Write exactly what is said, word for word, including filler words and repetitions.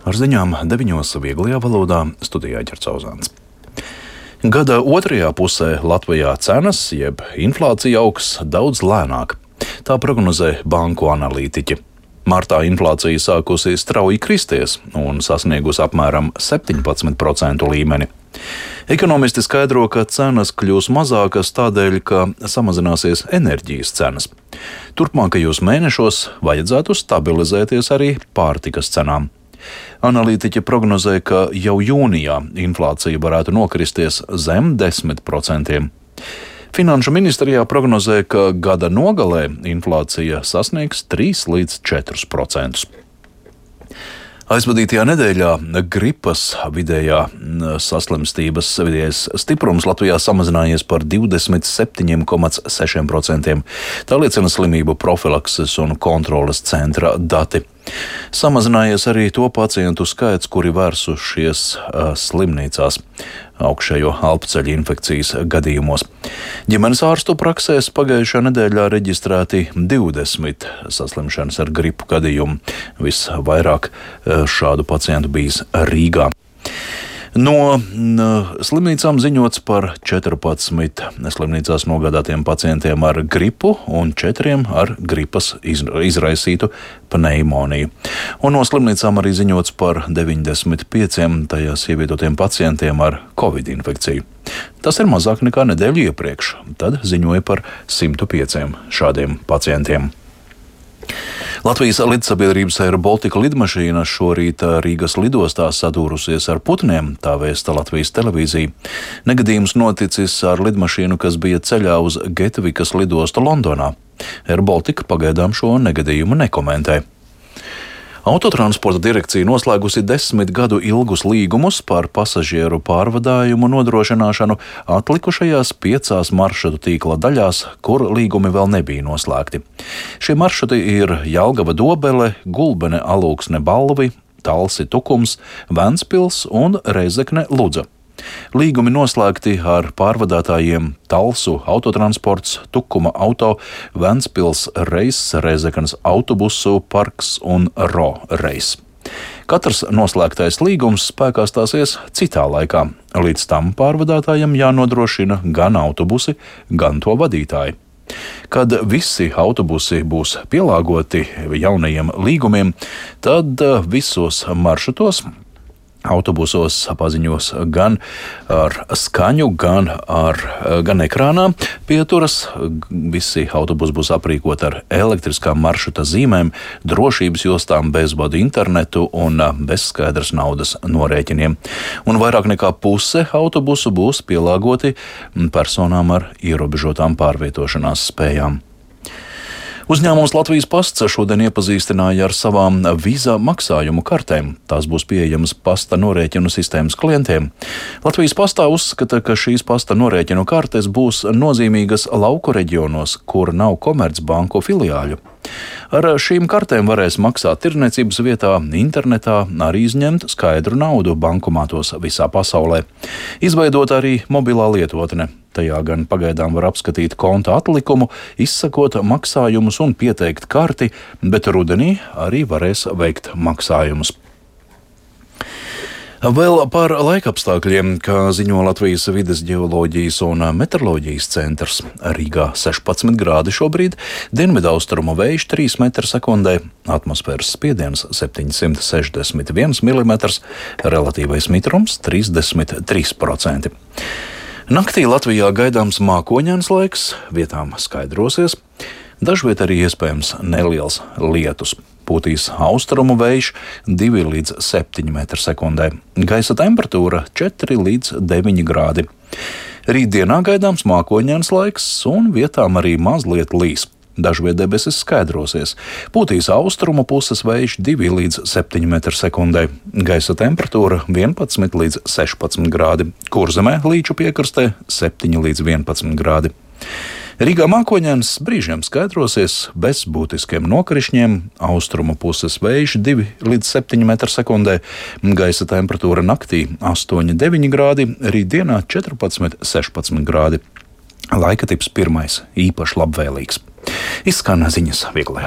Ar ziņām deviņos vieglajā valodā studijā Ģercauzāns. Gada otrajā pusē Latvijā cenas, jeb inflācija augs daudz lēnāk. Tā prognozē banku analītiķi. Martā inflācija sākusi strauji kristies un sasniegusi apmēram septiņpadsmit procentu līmeni. Ekonomisti skaidro, ka cenas kļūs mazākas tādēļ, ka samazināsies enerģijas cenas. Turpmākajos mēnešos vajadzētu stabilizēties arī pārtikas cenām. Analītiķi prognozē, ka jau jūnijā inflācija varētu nokristies zem desmit procentiem. Finanšu ministrijā prognozē, ka gada nogalē inflācija sasniegs trīs līdz četrus procentus. Aizvadītajā nedēļā gripas vidējā saslimstības vidējais stiprums Latvijā samazinājies par divdesmit septiņiem komats sešiem procentiem. Tā liecina slimību profilakses un kontroles centra dati. Samazinājies arī to pacientu skaits, kuri vērsušies uh, slimnīcās augšējo elpceļa infekcijas gadījumos. Ģimenes ārstu praksēs pagājušā nedēļā reģistrēti divdesmit saslimšanas ar gripu gadījumu. Visvairāk uh, šādu pacientu bijis Rīgā. No slimnīcām ziņots par četrpadsmit slimnīcās nogādātiem pacientiem ar gripu un četriem ar gripas izraisītu pneimoniju. Un no slimnīcām arī ziņots par deviņdesmit pieciem tajās ievietotiem pacientiem ar covid infekciju. Tas ir mazāk nekā nedēļu iepriekš, tad ziņoja par simt pieciem šādiem pacientiem. Latvijas lidsabiedrības Air Baltica lidmašīna šorīt Rīgas lidostā sadūrusies ar putniem, tā vēsta Latvijas televīzija. Negadījums noticis ar lidmašīnu, kas bija ceļā uz Getvikas lidostu Londonā. Air Baltica pagaidām šo negadījumu nekomentē. Autotransporta direkcija noslēgusi desmit gadu ilgus līgumus par pasažieru pārvadājumu nodrošināšanu atlikušajās piecās maršrutu tīkla daļās, kur līgumi vēl nebija noslēgti. Šie maršruti ir Jelgava Dobele, Gulbene Alūksne Balvi, Talsi Tukums, Ventspils un Reizekne Ludza. Līgumi noslēgti ar pārvadātājiem Talsu autotransports, Tukuma auto, Ventspils reis, Reizeknes autobusu parks un Ro reis. Katrs noslēgtais līgums spēkā stāsies citā laikā. Līdz tam pārvadātājiem jānodrošina gan autobusi, gan to vadītāji. Kad visi autobusi būs pielāgoti jaunajiem līgumiem, tad visos maršrutos autobusos paziņos gan ar skaņu, gan, ar, gan ekrānā pieturas. Visi autobusi būs aprīkoti ar elektriskām maršruta zīmēm, drošības jostām, bezvadu internetu un bez skaidras naudas norēķiniem. Un vairāk nekā puse autobusu būs pielāgoti personām ar ierobežotām pārvietošanās spējām. Uzņēmums Latvijas Pasts šodien iepazīstināja ar savām vīzā maksājumu kartēm. Tās būs pieejamas pasta norēķinu sistēmas klientiem. Latvijas Pastā uzskata, ka šīs pasta norēķinu kartes būs nozīmīgas lauku reģionos, kur nav komercbanku filiāļu. Ar šīm kartēm varēs maksāt tirdzniecības vietā, internetā, arī izņemt skaidru naudu bankomātos visā pasaulē. Izveidot arī mobilā lietotne. Tajā gan pagaidām var apskatīt konta atlikumu, izsakot maksājumus un pieteikt karti, bet rudenī arī varēs veikt maksājumus. Vēl par laikapstākļiem, kā ziņo Latvijas vides ģeoloģijas un meteoroloģijas centrs. Rīgā sešpadsmit grādi šobrīd, dienvidaustrumu vējš trīs metri sekundē, atmosfēras spiediens septiņsimt sešdesmit viens milimetrs, relatīvais mitrums trīsdesmit trīs procenti. Naktī Latvijā gaidāms mākoņains laiks, vietām skaidrosies, dažviet arī iespējams neliels lietus. Pūtīs austrumu vējš divi līdz septiņi metri sekundē. Gaisa temperatūra četri līdz deviņi grādi. Rītdienā gaidāms mākoņains laiks un vietām arī mazliet līs. Dažviet debesis skaidrosies. Pūtīs austrumu puses vējš divi līdz septiņi metri sekundē. Gaisa temperatūra vienpadsmit līdz sešpadsmit grādi. Kurzemē līču piekrastē septiņi līdz vienpadsmit grādi. Rīgā mākoņains brīžiem skaidrosies bez būtiskiem nokrišņiem, austrumu puses vējš divi līdz septiņi metri sekundē, gaisa temperatūra naktī astoņi deviņi grādi, rītdienā četrpadsmit sešpadsmit grādi. Laika tips pirmais, īpaši labvēlīgs. Izskan ziņas vieglajā valodā.